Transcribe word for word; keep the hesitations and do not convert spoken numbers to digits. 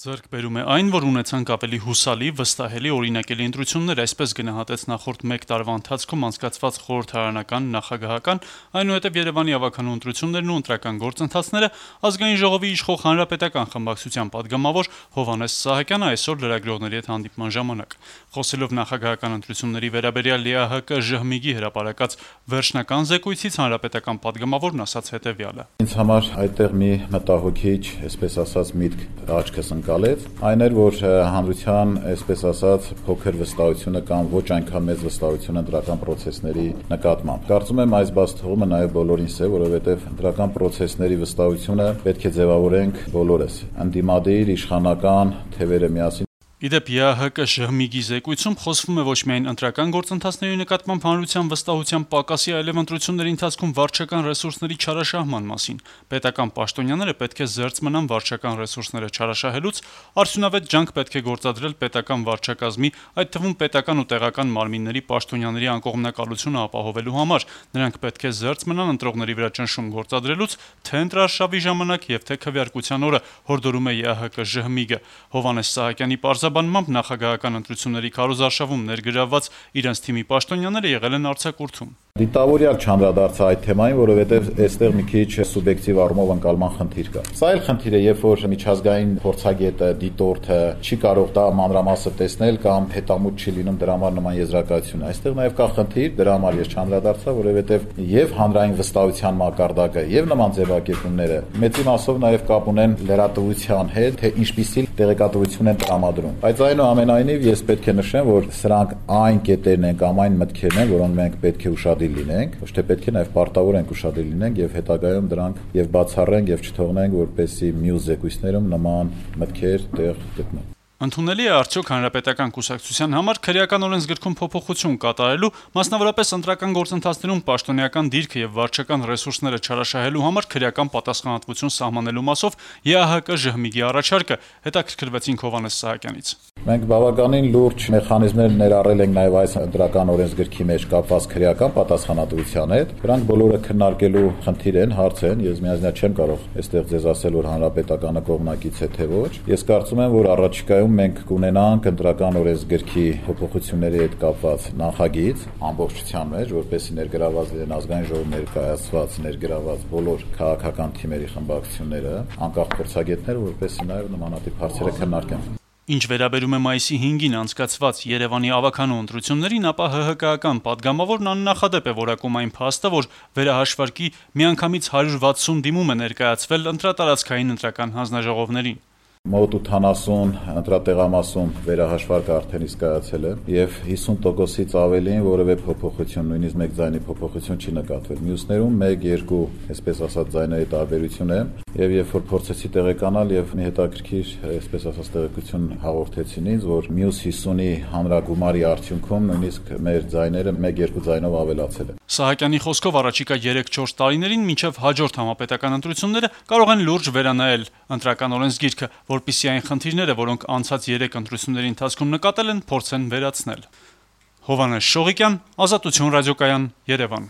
Ձեռք բերում է այն, որ ունեցանք ավելի հուսալի, վստահելի, օրինակելի ընտրություններ, այսպես գնահատեց նախորդ մեկ տարվա ընթացքում անցկացված խորհրդարանական, նախագահական, այնուհետև Երևանի ավագանու ընտրություններն ու ընտրական գործընթացները Ազգային ժողովի իշխող Հանրապետական խմբակցության պատգամավոր Հովհաննես Սահակյանը այսօր լրագրողների հետ հանդիպման ժամանակ խոսելով նախագահական ընտրությունների վերաբերյալ ԵԱՀԿ ԺՀՄԻԳ-ի հրապարակած վերջնական զեկույցից Հանրապետական պատգամավորն ասաց հետևյալը. Ինձ համար այդտեղ մի մտահոգիչ, այսպես ասած, միտք աչքս ընկալեց, այն էր, որ հանրության, այսպես ասած, փոքր վստահությունը կամ ոչ այնքան մեծ վստահությունը ընտրական պրոցեսների նկատմամբ։ Կարծում եմ այս բացթողումը նաև բոլորինս է, որովհետև ընտրական պրոցեսների վստահությունը պետք է ձևավորենք բոլորս, ընդդիմադիր, իշխանական թևերը միասին։ Իդեպ ԵԱՀԿ ԺՀՄԻԳ-ի զեկույցում խոսվում է ոչ միայն ընտրական գործընթացների նկատմամբ հանրության վստահության պակասի, այլև ընտրությունների ընթացքում վարչական ռեսուրսների չարաշահման մասին։ Պետական պաշտոնյաները պետք է զերծ մնան վարչական ռեսուրսները չարաշահելուց, արդյունավետ ջանք պետք է գործադրել պետական վարչակազմի, այդ թվում պետական ու տեղական մարմինների պաշտոնյաների անկողմնակալությունը ապահովելու համար։ Նրանք պետք է զերծ մնան ընտրողների վրա ճնշում գործադրելուց, թե ընտրարշավի ժամանակ եւ թե քվեարկության օրը, հորդորում է ԵԱՀԿ ԺՀՄԻԳ-ը։ Հովհաննես Սահակյանի պարզաբանմամբ նախագահական ընտրությունների քարոզարշավում ներգրավված իրենց թիմի պաշտոնյաները եղել են արձակուրդում։ Դիտավորյալ չանդրադարձա այդ թեմային, որովհետև այստեղ մի քիչ սուբյեկտիվ առումով ընկալման խնդիր կա։ Սա էլ խնդիր է, երբ որ միջազգային փորձագետը, դիտորդը չի կարող դա մանրամասը տեսնել կամ հետամուտ չի լինում դրա համար նման եզրակացություն։ Այստեղ նաև կա խնդիր, դրա համար ես չանդրադարձա, որովհետև եւ հանրային վստահության մակարդակը եւ նման ձևակերպումները մեծի մասով նաև կապ ունեն լրատվության հետ, թե ինչպիսի տեղեկատվություն են տրամադրում։ Բայց այնուամենայնիվ ես պետք է նշեմ, որ սրանք այն կետերն են կամ այն մտքերն են, որոնք մենք պետք է ուշադիր լինենք, ոչ թե պետք է նաև պարտավոր ենք ուշադիր լինենք եւ հետագայում դրանք եւ բացառենք եւ չթողնենք, որպեսզի մյուս զեկույցներում նման մտքեր տեղ գտնեն։ Ընդունելի է արդյոք Հանրապետական կուսակցության համար քրեական օրենսգրքում փոփոխություն կատարելու, մասնավորապես ընտրական գործընթացներում պաշտոնեական դիրքը եւ վարչական ռեսուրսները չարաշահելու համար քրեական պատասխանատվություն սահմանելու մասով ԵԱՀԿ ԺՀՄԻԳ-ի առաջարկը, հետաքրքրվեցինք Հովհաննես Սահակյանից։ Մենք բավականին լուրջ մեխանիզմներ ներառել ենք նաև այս ընտրական օրենսգրքի մեջ կապված քրեական պատասխանատվության հետ։ Դրանք բոլորը քննարկելու խնդիր են, հարց են, ես միանձնյա չեմ կարող այստեղ ձեզ ասել, որ Հանրապետականը կողմնակից է թե ոչ։ Ես կարծում եմ, որ առաջիկայում մենք կունենանք ընտրական օրենսգրքի փոփոխությունների հետ կապված նախագիծ ամբողջության մեջ, որպեսզի ներգրաված լինեն Ազգային ժողովի ներկայացված ներգրաված բոլոր քաղաքական թիմերի խմբակցությունները, անկախ փորձագետները, որպեսզի նաև նմանատիպ հարցերը քննարկեն։ Ինչ վերաբերում է մայիսի հինգին անցկացված Երևանի ավագանու ընտրություններին, ապա ՀՀԿ-ական պատգամավորն աննախադեպ է որակում այն փաստը, որ վերահաշվարկի միանգամից հարյուր վաթսուն դիմում է ներկայացվել ընտրատարածքային ընտրական հանձնաժողովներին։ Մոտ ութանասուն ընտրատեղամասում վերահաշվարկը արդեն իսկ կայացել է եւ հիսուն տոկոսից ավելին որևէ փոփոխություն, նույնիսկ մեկ ձայնի փոփոխություն չի նկատվել։ Մյուսներում մեկ երկու, այսպես ասած, ձայների տարբերություն է եւ երբ որ փորձեցի տեղեկանալ եւ մի հետաքրքիր, այսպես ասած, տեղեկություն հաղորդեցին ինձ, որ մյուս հիսունի հանրագումարի արդյունքում նույնիսկ մեր ձայները մեկ երկու ձայնով ավելացել են։ Սահակյանի խոսքով առաջիկա երեք-չորս տարիներին մինչև հաջորդ համապետական ընտրությունները կարող են լուրջ վերանայել ընտրական օրենսգիրքը, որպեսզի այն խնդիրները, որոնք անցած երեք ընտրությունների ընթացքում նկատել են, փորձեն վերացնել։ Հովհաննես Շողիկյան, Ազատություն ռադիոկայան, Երևան։